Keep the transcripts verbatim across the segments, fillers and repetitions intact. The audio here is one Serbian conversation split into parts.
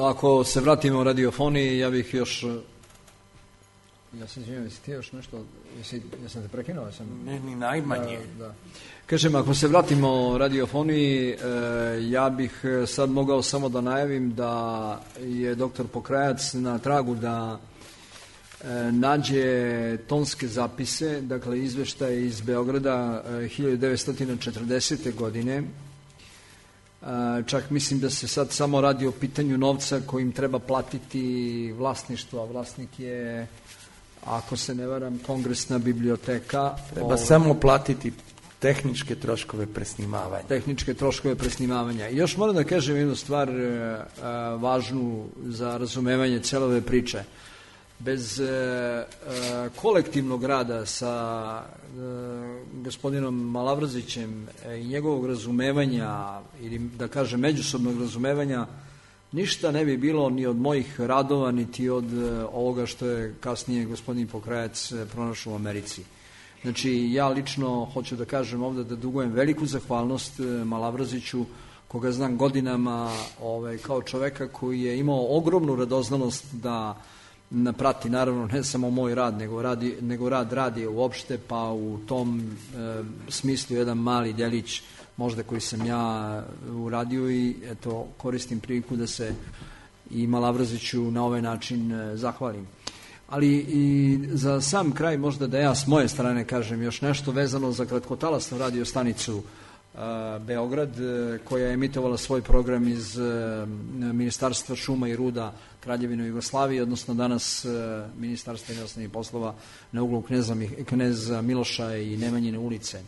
Ako se vratimo radiofoniji, ja bih još... Ja se izvijem, jesi ti još nešto... Jesi, ja sam te prekinuo? Sam... Ne, ni najmanje. Da, da. Kažem, ako se vratimo radiofoniji, e, ja bih sad mogao samo da najavim da je doktor Pokrajac na tragu da e, nađe tonske zapise, dakle izveštaje iz Beograda e, hiljadu devetsto četrdesete. godine. Čak mislim da se sad samo radi o pitanju novca kojim treba platiti vlasništvo, a vlasnik je, ako se ne varam, Kongresna biblioteka. Treba o... samo platiti tehničke troškove presnimavanja. Tehničke troškove presnimavanja. I još moram da kažem jednu stvar a, važnu za razumevanje cele ove priče. Bez e, e, kolektivnog rada sa e, gospodinom Malavrazićem e, i njegovog razumevanja, ili da kažem međusobnog razumevanja, ništa ne bi bilo ni od mojih radova, niti od e, ovoga što je kasnije gospodin Pokrajac e, pronašao u Americi. Znači, ja lično hoću da kažem ovdje da dugujem veliku zahvalnost e, Malavraziću, koga znam godinama ovaj, kao čoveka koji je imao ogromnu radoznalost da prati naravno ne samo moj rad, nego, radi, nego rad radije uopšte, pa u tom e, smislu jedan mali delić možda koji sam ja uradio i eto koristim priliku da se i Malavraziću na ovaj način e, zahvalim. Ali i za sam kraj možda da ja s moje strane kažem još nešto vezano za kratkotalasnu radio stanicu Beograd, koja je emitovala svoj program iz Ministarstva šuma i ruda Kraljevine Jugoslavije, odnosno danas Ministarstva inostranih poslova na uglu Kneza, Kneza Miloša i Nemanjine ulice.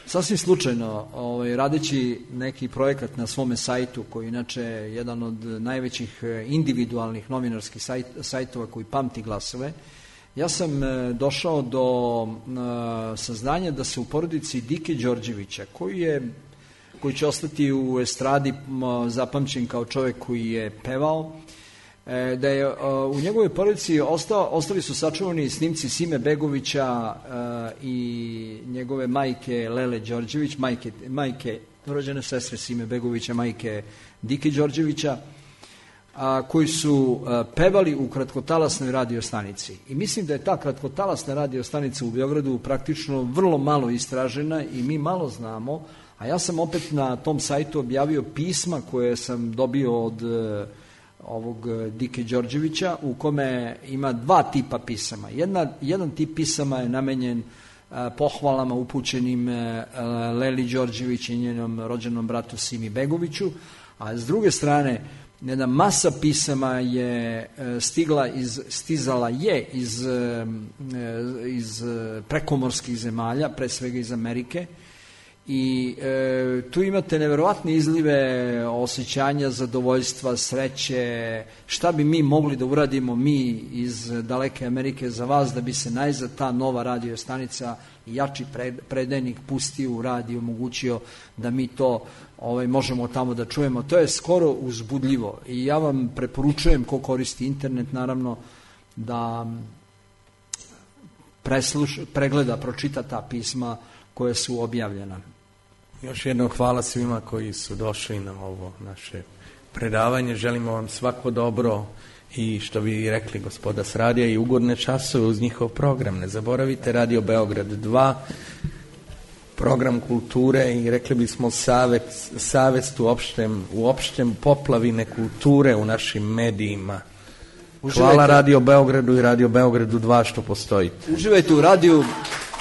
Sasvim slučajno, ovaj, radeći neki projekat na svome sajtu, koji inače je jedan od najvećih individualnih novinarskih sajt, sajtova koji pamti glasove, ja sam došao do saznanja da se u porodici Dike Đorđevića, koji je, koji će ostati u estradi zapamćen kao čovjek koji je pevao, da je u njegovoj porodici ostao, ostali su sačuvani snimci Sime Begovića i njegove majke Lele Đorđević, majke, majke rođene sestre Sime Begovića, majke Dike Đorđevića, a, koji su a, pevali u kratkotalasnoj radio stanici. I mislim da je ta kratkotalasna radio stanica u Beogradu praktično vrlo malo istražena i mi malo znamo, a ja sam opet na tom sajtu objavio pisma koje sam dobio od a, ovog Dike Đorđevića, u kome ima dva tipa pisama. Jedna, jedan tip pisama je namenjen a, pohvalama upućenim a, Leli Đorđević i njenom rođenom bratu Simi Begoviću, a s druge strane jedna masa pisama je stigla iz, stizala je iz, iz prekomorskih zemalja, pre svega iz Amerike, i e, tu imate neverovatne izlive osjećanja, zadovoljstva, sreće, šta bi mi mogli da uradimo mi iz daleke Amerike za vas, da bi se najzad ta nova radio stanica i jači predajnik pustio u rad i omogućio da mi to ovaj, možemo tamo da čujemo. To je skoro uzbudljivo i ja vam preporučujem, ko koristi internet naravno, da presluš, pregleda, pročita ta pisma koje su objavljena. Još jednom hvala svima koji su došli na ovo naše predavanje. Želimo vam svako dobro i što bi rekli gospoda s radija i ugodne časove uz njihov program. Ne zaboravite Radio Beograd dva, program kulture i rekli bismo savest, savest u opštem, u opštem poplavine kulture u našim medijima. Uživajte. Hvala Radio Beogradu i Radio Beogradu dva što postojite. Uživajte u radiju.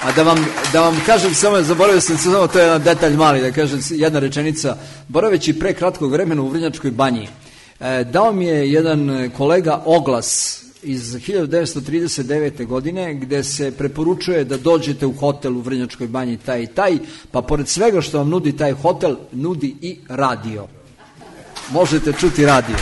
A da vam, da vam kažem samo, zaboravio sam se samo, to je jedan detalj mali, da kažem jedna rečenica, boraveći pre kratkog vremena u Vrnjačkoj banji, e, dao mi je jedan kolega oglas iz hiljadu devetsto trideset devete. godine, gde se preporučuje da dođete u hotel u Vrnjačkoj banji taj i taj, pa pored svega što vam nudi taj hotel, nudi i radio. Možete čuti radio.